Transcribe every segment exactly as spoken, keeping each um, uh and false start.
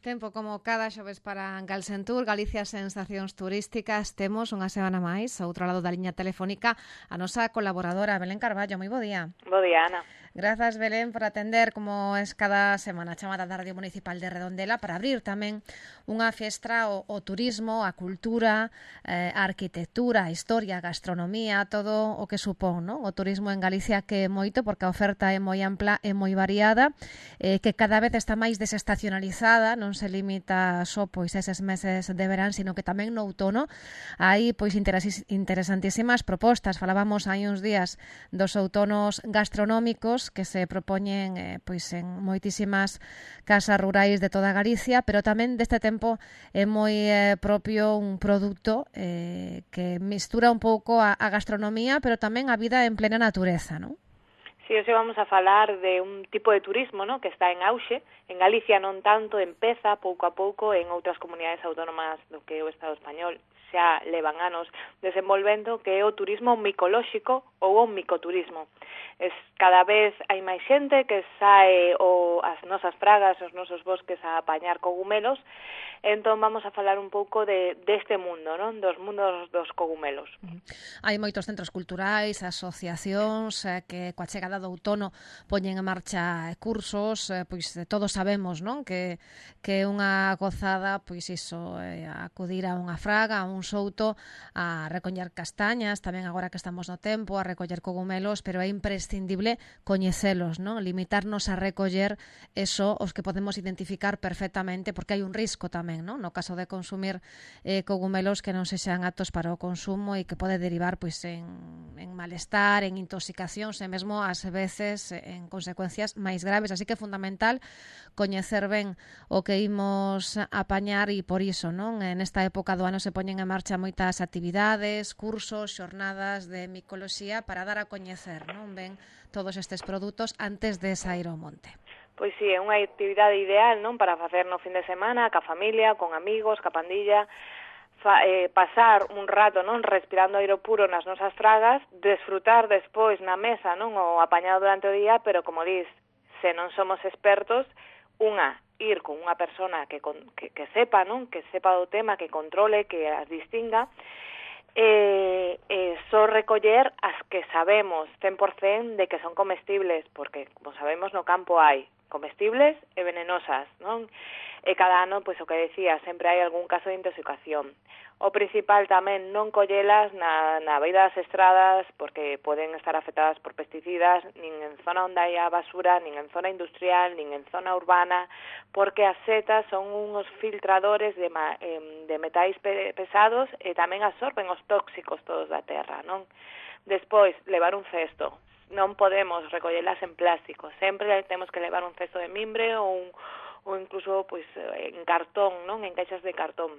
Tempo como cada xoves para Galsentur, Galicia Sensacións Turísticas. Temos unha semana máis, ao outro lado da liña telefónica, a nosa colaboradora Belén Carballo. Moi bo día. Bo día, Ana. Grazas, Belén, por atender, como es cada semana, a chamada da Radio Municipal de Redondela para abrir tamén unha fiestra o, o turismo, a cultura, eh, a arquitectura, a historia, a gastronomía, todo o que supón, non? O turismo en Galicia, que é moito, porque a oferta é moi ampla e moi variada, eh, que cada vez está máis desestacionalizada, non se limita só pois eses meses de verán, sino que tamén no outono hai pois interesantísimas propostas. Falábamos hai uns días dos outonos gastronómicos que se propoñen eh, pois en moitísimas casas rurais de toda Galicia, pero tamén deste tempo é moi eh, propio un produto eh, que mistura un pouco a, a gastronomía, pero tamén a vida en plena natureza, non? Si, sí, hoxe vamos a falar de un tipo de turismo, ¿no?, que está en auxe. En Galicia non tanto, empeza pouco a pouco, en outras comunidades autónomas do que é o Estado español xa levan anos desenvolvendo, que é o turismo micolóxico ou o micoturismo. Es, cada vez hai máis xente que sae o, as nosas pragas, os nosos bosques a apañar cogumelos. Entón vamos a falar un pouco de deste mundo, non? Dos mundos dos cogumelos. Uh-huh. Hai moitos centros culturais, asociacións eh, que coa chegada do outono poñen en marcha cursos, eh, pois todos sabemos, non? Que que é unha gozada, pois iso, eh, acudir a unha fraga, a un souto, a recoller castañas, tamén agora que estamos no tempo, a recoller cogumelos, pero é imprescindible coñecelos, non? Limitarnos a recoller eso os que podemos identificar perfectamente, porque hai un risco tamén, non? No caso de consumir eh, cogumelos que non sexan aptos para o consumo e que pode derivar pois en, en malestar, en intoxicacións e mesmo ás veces en consecuencias máis graves, así que é fundamental coñecer ben o que imos apañar e por iso, non? En esta época do ano se poñen en marcha moitas actividades, cursos, xornadas de micoloxía para dar a coñecer, non? Ben todos estes produtos antes de sair ao monte. Pois si, é unha actividade ideal, non, para facer no fin de semana, ca familia, con amigos, ca pandilla, fa, eh, pasar un rato, non, respirando aire puro nas nosas fragas, desfrutar despois na mesa, non, o apañado durante o día, pero como dis, se non somos expertos, unha, ir con unha persona que, que, que sepa, non, que sepa do tema, que controle, que as distinga, Eh, eh, só recoller as que sabemos cen por cen de que son comestibles, porque, como sabemos, no campo hai comestibles e venenosas, non? E cada ano, pois o que decía, sempre hai algún caso de intoxicación. O principal tamén non collelas na, na beira das estradas, porque poden estar afectadas por pesticidas, nin en zona onde hai a basura, nin en zona industrial, nin en zona urbana, porque as setas son uns filtradores de, de metais pesados e tamén absorben os tóxicos todos da terra, non? Despois, levar un cesto. Non podemos recollelas en plástico, sempre temos que levar un cesto de mimbre ou, un, ou incluso pois, en cartón, non? En caixas de cartón.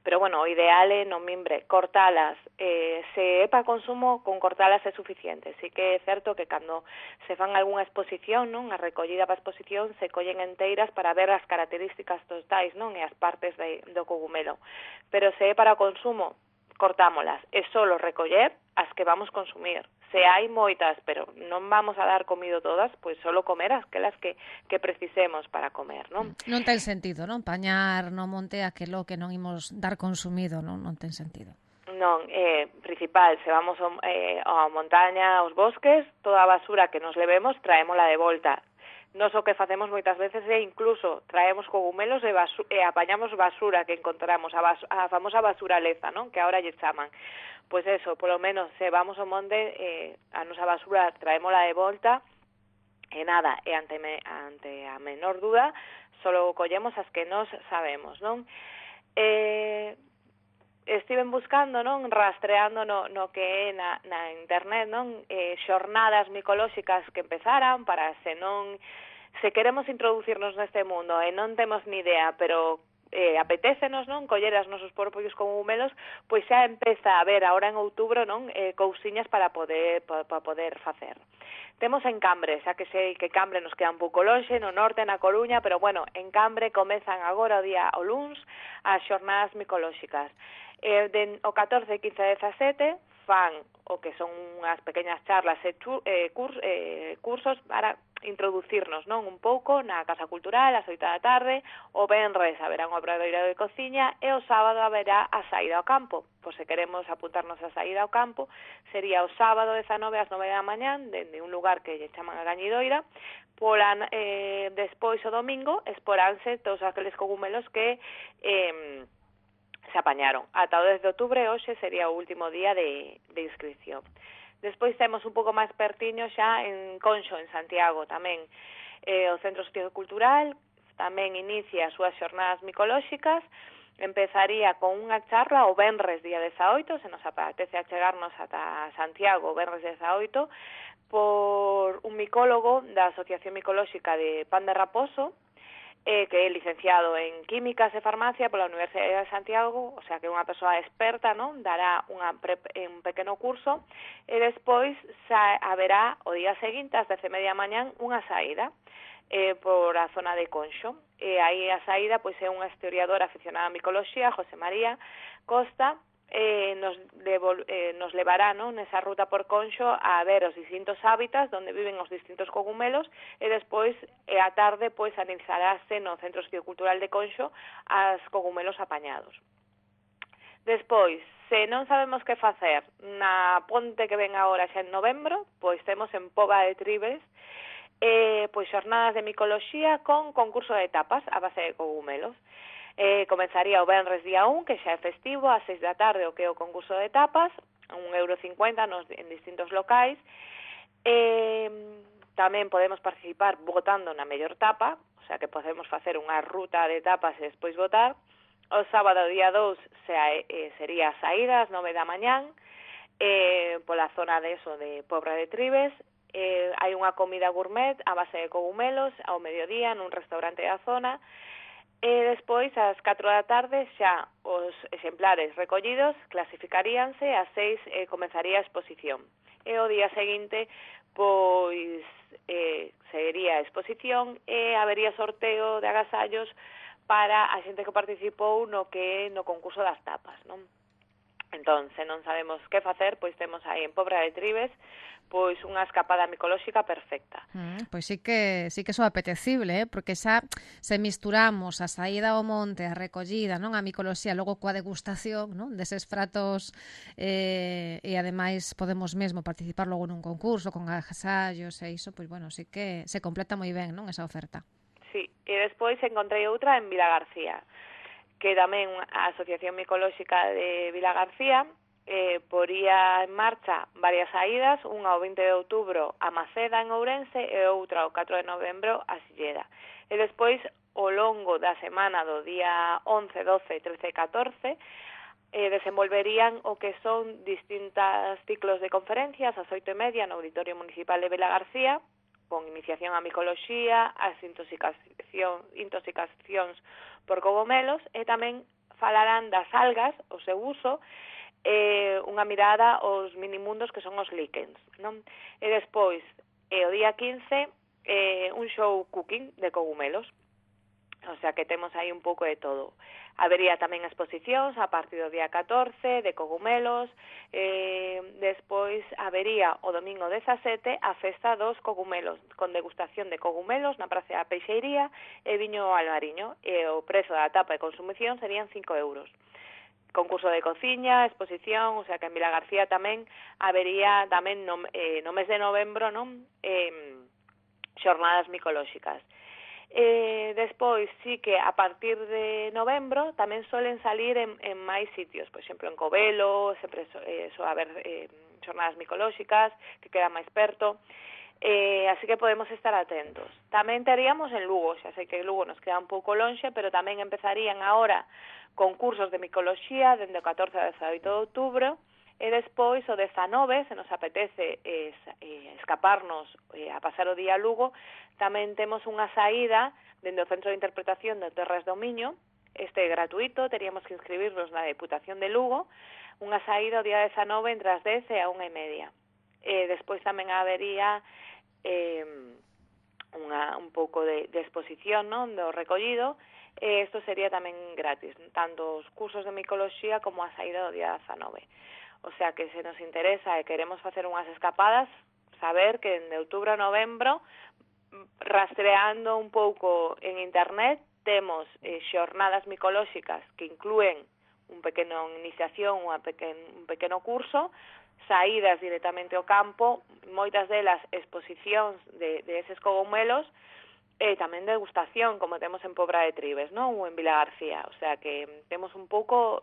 Pero, bueno, o ideal é no mimbre, cortalas. Eh, se é para consumo, con cortalas é suficiente. Sí que é certo que cando se fan algunha exposición, non, a recollida para exposición, se collen enteiras para ver as características totais, non, e as partes de, do cogumelo. Pero se é para consumo, cortámolas. É solo recoller as que vamos consumir. Se hai moitas, pero non vamos a dar comido todas, pois solo comer aquelas que, que precisemos para comer, non? Non ten sentido, non? Pañar no monte aquelo que non imos dar consumido, non? Non ten sentido. Non, eh, principal, se vamos eh, a montaña, aos bosques, toda a basura que nos levemos, traémola de volta. Nos o que facemos moitas veces é incluso traemos cogumelos e, basu- e apañamos basura que encontramos, a, bas- a famosa basuraleza, non? Que ahora lle chaman. Pois eso, polo menos, se vamos ao monte, eh, a nosa basura traémola de volta, e nada, e ante, me, ante a menor duda, solo collemos as que nos sabemos, non? Eh... Estiven buscando, non, rastreando no, no que é na, na internet, non, eh, xornadas micolóxicas que empezaran para se non, se queremos introducirnos neste mundo e non temos ni idea, pero eh, apetécenos, non, coller as nosos propios cogumelos, pois xa empeza a haber agora en outubro, non, eh, cousiñas para poder para, para poder facer. Temos en Cambre, xa que sei que Cambre nos queda un pouco lonxe, no norte, na Coruña, pero bueno, en Cambre comezan agora o día o luns as xornadas micolóxicas. Eh, de, o catorce, quince e dezasete fan o que son unhas pequenas charlas e chu, eh, curs, eh, cursos para introducirnos, non, un pouco na Casa Cultural ás oito da tarde, o venres haberá un obradoiro de cociña e o sábado haberá a saída ao campo. Pois se queremos apuntarnos a saída ao campo, sería o sábado dezanove ás nove da mañán, dende un lugar que lle chaman a Gañidoira, pola, eh, despois o domingo esporanse todos aqueles cogumelos que eh, se apañaron. Ata o dez de outubro, hoxe sería o último día de, de inscripción. Despois temos un pouco máis pertiño xa en Conxo, en Santiago, tamén eh, o Centro Sociocultural tamén inicia as súas xornadas micolóxicas. Empezaría con unha charla o venres día dezaoito, se nos apetece achegarnos ata Santiago o venres dezaoito, por un micólogo da Asociación Micolóxica de Pan de Raposo, eh, que é licenciado en Químicas e Farmacia pola Universidade de Santiago, o sea que é unha persoa experta, non? Dará unha pre, un pequeno curso, e despois xa haberá o día seguinte, ás dez e media mañán, unha saída eh, por a zona de Conxo. E aí a saída pois é unha historiadora aficionada a micoloxía, José María Costa, Eh, nos, devol, eh, nos levará, non, nesa ruta por Conxo a ver os distintos hábitats onde viven os distintos cogumelos e despois e a tarde pois analizaráse no Centro Sociocultural de Conxo as cogumelos apañados. Despois, se non sabemos que facer na ponte que ven agora xa en novembro, pois temos en Pova de Tribes eh, pois xornadas de micoloxía con concurso de tapas a base de cogumelos. Eh, comenzaría o venres día un, que xa é festivo, ás seis da tarde o que é o concurso de tapas, un euro cincuenta nos, en distintos locais. Eh, tamén podemos participar votando na mellor tapa, o sea que podemos facer unha ruta de tapas e despois votar. O sábado día dous se, eh, sería a saída ás nove da mañán, eh, pola zona de eso de Pobra de Tribes. Eh, hai unha comida gourmet a base de cogumelos ao mediodía nun restaurante da zona. E despois, ás catro da tarde, xa os exemplares recollidos clasificaríanse, ás seis eh, comenzaría a exposición. E o día seguinte, pois, eh, seguiría a exposición e habería sorteo de agasallos para a xente que participou no que no concurso das tapas, non? Entón, se non sabemos que facer, pois temos aí en Pobra de Tribes pois unha escapada micolóxica perfecta. Mm, pois sí que sí que so apetecible, eh? Porque xa se misturamos a saída ao monte, a recollida, non, a micoloxía, logo coa degustación, non, deses pratos eh, e ademais podemos mesmo participar logo nun concurso con agasallos e iso, pois bueno, sí que se completa moi ben, non, esa oferta. Sí, e despois encontrei outra en Vilagarcía, que tamén a Asociación Micolóxica de Vilagarcía eh, poría en marcha varias saídas, unha ao vinte de outubro a Maceda en Ourense e outra ao catro de novembro a Silleda. E despois, ao longo da semana do día once, doce, trece e catorce, eh, desenvolverían o que son distintas ciclos de conferencias ás oito e media no Auditorio Municipal de Vilagarcía, con iniciación a micoloxía, as intoxicación, intoxicacións por cogomelos, e tamén falarán das algas, o seu uso, eh, unha mirada aos minimundos que son os líquens, non? E despois, eh, o día quince, eh, un show cooking de cogumelos, o sea que temos aí un pouco de todo. Habería tamén exposicións a partir do día catorce de cogumelos, eh, despois habería o domingo dezasete a festa dos cogumelos, con degustación de cogumelos na Praza da Peixeiría e viño ao Alvariño, e o prezo da tapa de consumición serían cinco euros. Concurso de cociña, exposición, o sea que en Vilagarcía tamén habería tamén no, eh, no mes de novembro, non, eh, xornadas micolóxicas. Eh, despois, sí que a partir de novembro tamén solen salir en, en máis sitios, por exemplo, en Covelo, sempre so, eh, so haber eh, xornadas micolóxicas, que queda máis perto, eh, así que podemos estar atentos. Tamén teríamos en Lugo, xa sei que Lugo nos queda un pouco lonxe, pero tamén empezarían agora concursos de micoloxía dende o catorce ao dezaoito de outubro, e despois o dezanove, se nos apetece eh, escaparnos eh, a pasar o día a Lugo, tamén temos unha saída dende o Centro de Interpretación de Terras do Miño. Este é gratuito, teríamos que inscribirnos na Deputación de Lugo, unha saída o día dezanove entre as dez e a unha e media. E despois tamén habería eh, unha, un pouco de, de exposición, non, do recollido, e isto sería tamén gratis, tanto os cursos de micoloxía como a saída do día dezanove. O sea que se nos interesa e queremos facer unhas escapadas, saber que de outubro a novembro rastreando un pouco en internet, temos eh, xornadas micolóxicas que inclúen un pequeno iniciación, unha pequen, un pequeno curso, saídas directamente ao campo, moitas delas exposicións de, de eses cogumelos, e tamén degustación, como temos en Pobra de Tribes, non? Ou en Vila García, o sea que temos un pouco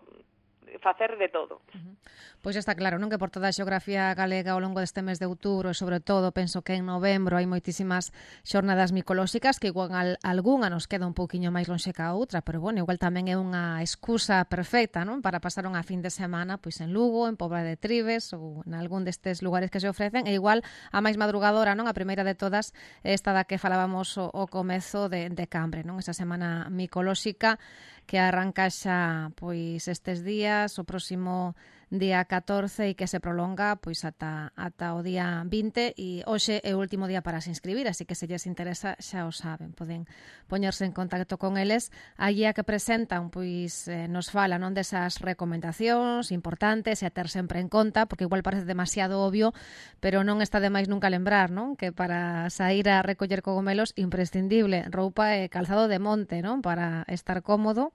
facer de todo. Uh-huh. Pois está claro, non, que por toda a xeografía galega ao longo deste mes de outubro e sobre todo penso que en novembro hai moitísimas xornadas micolóxicas que igual algunha nos queda un pouquiño máis lonxe que a outra, pero bueno, igual tamén é unha excusa perfecta, non, para pasar unha fin de semana pois en Lugo, en Pobra de Tribes ou en algún destes lugares que se ofrecen, e igual a máis madrugadora, non, a primeira de todas, esta da que falábamos o, o comezo de, de Cambre, non, esa semana micolóxica que arranca xa pois estes días, o próximo día catorce e que se prolonga pois ata, ata o día vinte, e hoxe é o último día para se inscribir, así que se lles interesa xa o saben, poden poñerse en contacto con eles. A guía que presentan pois eh, nos fala, non, desas recomendacións importantes e a ter sempre en conta, porque igual parece demasiado obvio, pero non está de máis nunca lembrar, non, que para sair a recoller cogomelos imprescindible roupa e calzado de monte, non, para estar cómodo.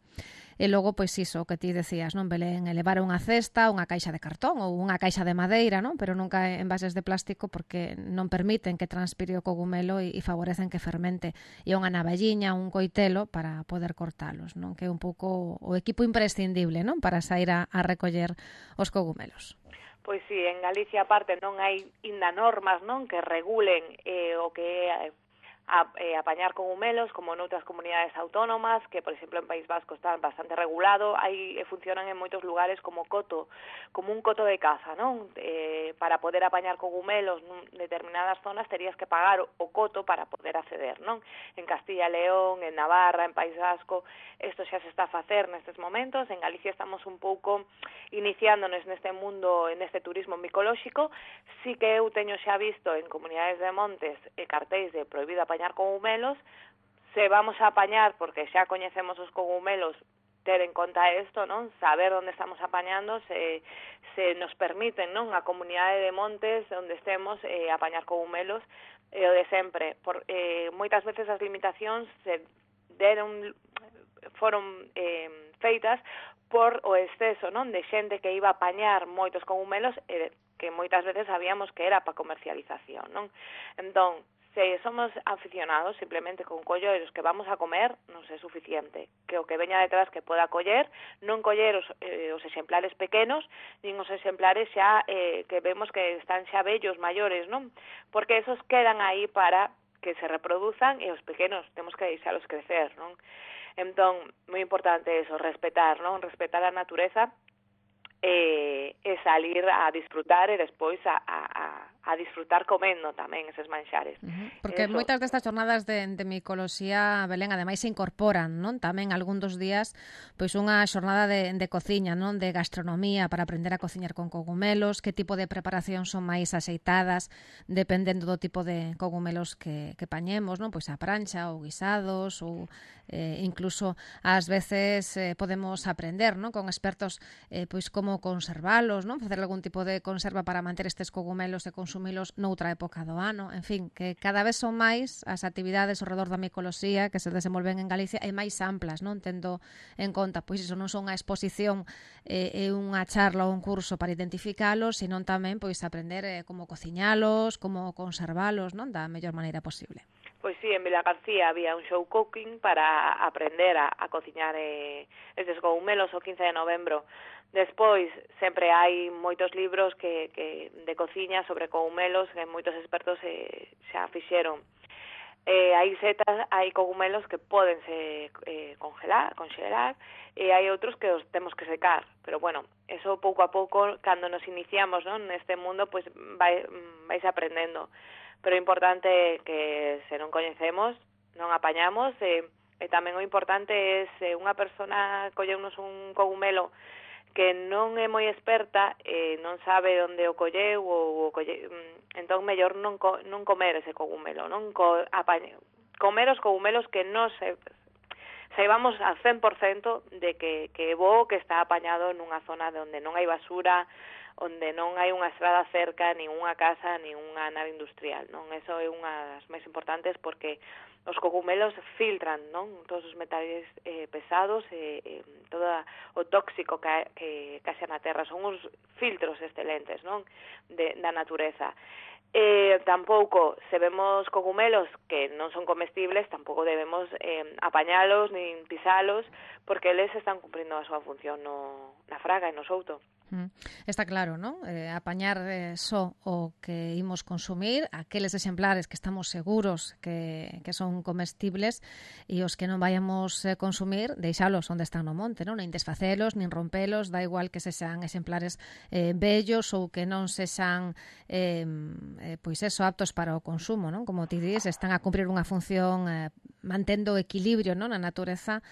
E logo, pois iso, o que ti decías, non, Belén, elevar unha cesta, unha caixa de cartón ou unha caixa de madeira, non, pero nunca en envases de plástico porque non permiten que transpire o cogumelo e, e favorecen que fermente. E unha navalliña, un coitelo para poder cortalos, non, que é un pouco o equipo imprescindible, non, para sair a, a recoller os cogumelos. Pois si, sí, en Galicia aparte non hai inda normas, non, que regulen eh, o que é a eh, apañar cogumelos, como noutras comunidades autónomas, que, por exemplo, en País Vasco están bastante regulado, aí funcionan en moitos lugares como coto, como un coto de caza, non? Eh, para poder apañar cogumelos en determinadas zonas terías que pagar o coto para poder acceder, non? En Castilla e León, en Navarra, en País Vasco, isto xa se está a facer nestes momentos. En Galicia estamos un pouco iniciándonos neste mundo, en este turismo micolóxico. Sí que eu teño xa visto en comunidades de montes e cartéis de prohibido apañar cogumelos. Se vamos a apañar, porque xa coñecemos os cogumelos, ter en conta isto, non? Saber onde estamos apañando, se, se nos permiten, non, a comunidade de montes onde estemos eh, apañar cogumelos, e o de sempre. Por, eh, moitas veces as limitacións se deron, foron eh, feitas por o exceso, non, de xente que iba a apañar moitos cogumelos e que moitas veces sabíamos que era para comercialización, non? Entón, se somos aficionados simplemente con coller os que vamos a comer, non é suficiente. Que o que veña detrás que poda coller, non coller os, eh, os exemplares pequenos, nin os exemplares xa eh, que vemos que están xa vellos, maiores, non? Porque esos quedan aí para que se reproduzan e os pequenos temos que deixalos crecer, non? Entón, moi importante eso, respetar, non? Respetar a natureza e, e salir a disfrutar e despois a, a, a disfrutar comendo tamén eses manxares. Uh-huh. Porque eso. Moitas destas jornadas de, de micoloxía, Belén, ademais se incorporan, non, tamén algún dos días pois unha xornada de, de cociña, non, de gastronomía para aprender a cociñar con cogumelos, que tipo de preparacións son máis axeitadas dependendo do tipo de cogumelos que, que pañemos, non, pois a prancha ou guisados ou eh, incluso ás veces eh, podemos aprender, non, con expertos eh, pois como conservalos, non, facer algún tipo de conserva para manter estes cogumelos e consumilos noutra época do ano. En fin, que cada vez son máis as actividades ao redor da micoloxía que se desenvolven en Galicia e máis amplas, non, tendo en conta, pois iso non son unha exposición e eh, unha charla ou un curso para identificalos, senón tamén pois aprender eh, como cociñalos, como conservalos, non, da mellor maneira posible. Pois sí, en Vila García había un show cooking para aprender a, a cociñar eh, estes cogumelos o quince de novembro. Despois, sempre hai moitos libros que, que de cociña sobre cogumelos que moitos expertos eh, xa fixeron. Eh, hai setas, hai cogumelos que pódense eh, congelar, congelar, e hai outros que os temos que secar. Pero bueno, eso pouco a pouco, cando nos iniciamos, non, neste mundo, pois vai, vais aprendendo. Pero é importante que se non coñecemos, non apañamos, e, e tamén o importante é se unha persona colleunos un cogumelo que non é moi experta e non sabe onde o colleu ou o colle, entón mellor non co, non comer ese cogumelo, non co, apañe, comer os cogumelos que non se saibamos al cen por cento de que, que é bo, que está apañado nunha zona onde non hai basura onde non hai unha estrada cerca, nin unha casa, nin unha nave industrial, non? Eso é unha das máis importantes porque os cogumelos filtran, non? Todos os metales eh, pesados e eh, todo o tóxico que, que caixa na terra, son uns filtros excelentes, non? De, da natureza. Eh, tampouco, se vemos cogumelos que non son comestibles, tampouco debemos eh, apañalos nin pisalos, porque eles están cumprindo a súa función no, na fraga e no souto. Mm. Está claro, non? Eh, apañar eh, só o que imos consumir, aqueles exemplares que estamos seguros que, que son comestibles e os que non vayamos eh, consumir, deixalos onde están no monte, non? Nin desfacelos, nin rompelos, da igual que se sean exemplares eh, bellos ou que non se sean eh, eh, pois eso, aptos para o consumo, non? Como ti dis, están a cumprir unha función eh, mantendo o equilibrio, non? Na natureza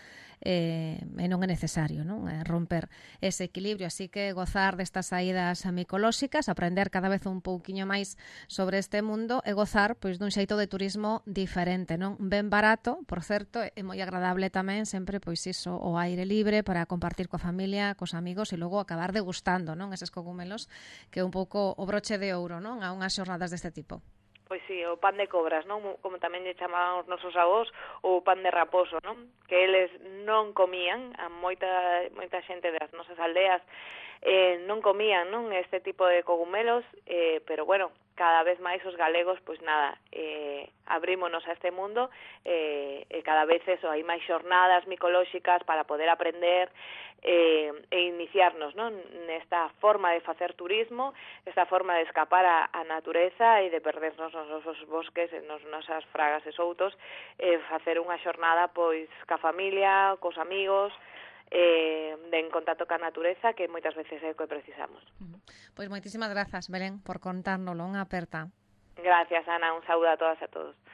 eh, e non é necesario, non? Eh, romper ese equilibrio, así que gozar destas saídas micolóxicas, aprender cada vez un pouquiño máis sobre este mundo e gozar pois dun xeito de turismo diferente, non? Ben barato, por certo, é moi agradable tamén sempre pois iso, o aire libre para compartir coa familia, cos amigos e logo acabar degustando, non? Eses cogumelos que é un pouco o broche de ouro, non? A unhas xornadas deste tipo. Pois sí, o pan de cobras, non? Como tamén lle chamaban os nosos avós, o pan de raposo, non? Que eles non comían, a moita moita xente das nosas aldeas eh, non comían, non? Este tipo de cogumelos, eh, pero bueno, cada vez máis os galegos, pois nada, eh, abrímonos a este mundo eh, e cada vez eso, hai máis xornadas micolóxicas para poder aprender eh, e iniciarnos, non? Nesta forma de facer turismo, esta forma de escapar a, a natureza e de perdernos nos nosos bosques, nos nosas fragas e soutos, e facer unha xornada pois ca familia, cos amigos, eh, de en contacto ca natureza, que moitas veces é o que precisamos. Pois moitísimas grazas, Belén, por contárnoslo, unha aperta. Gracias, Ana, un saúdo a todas e a todos.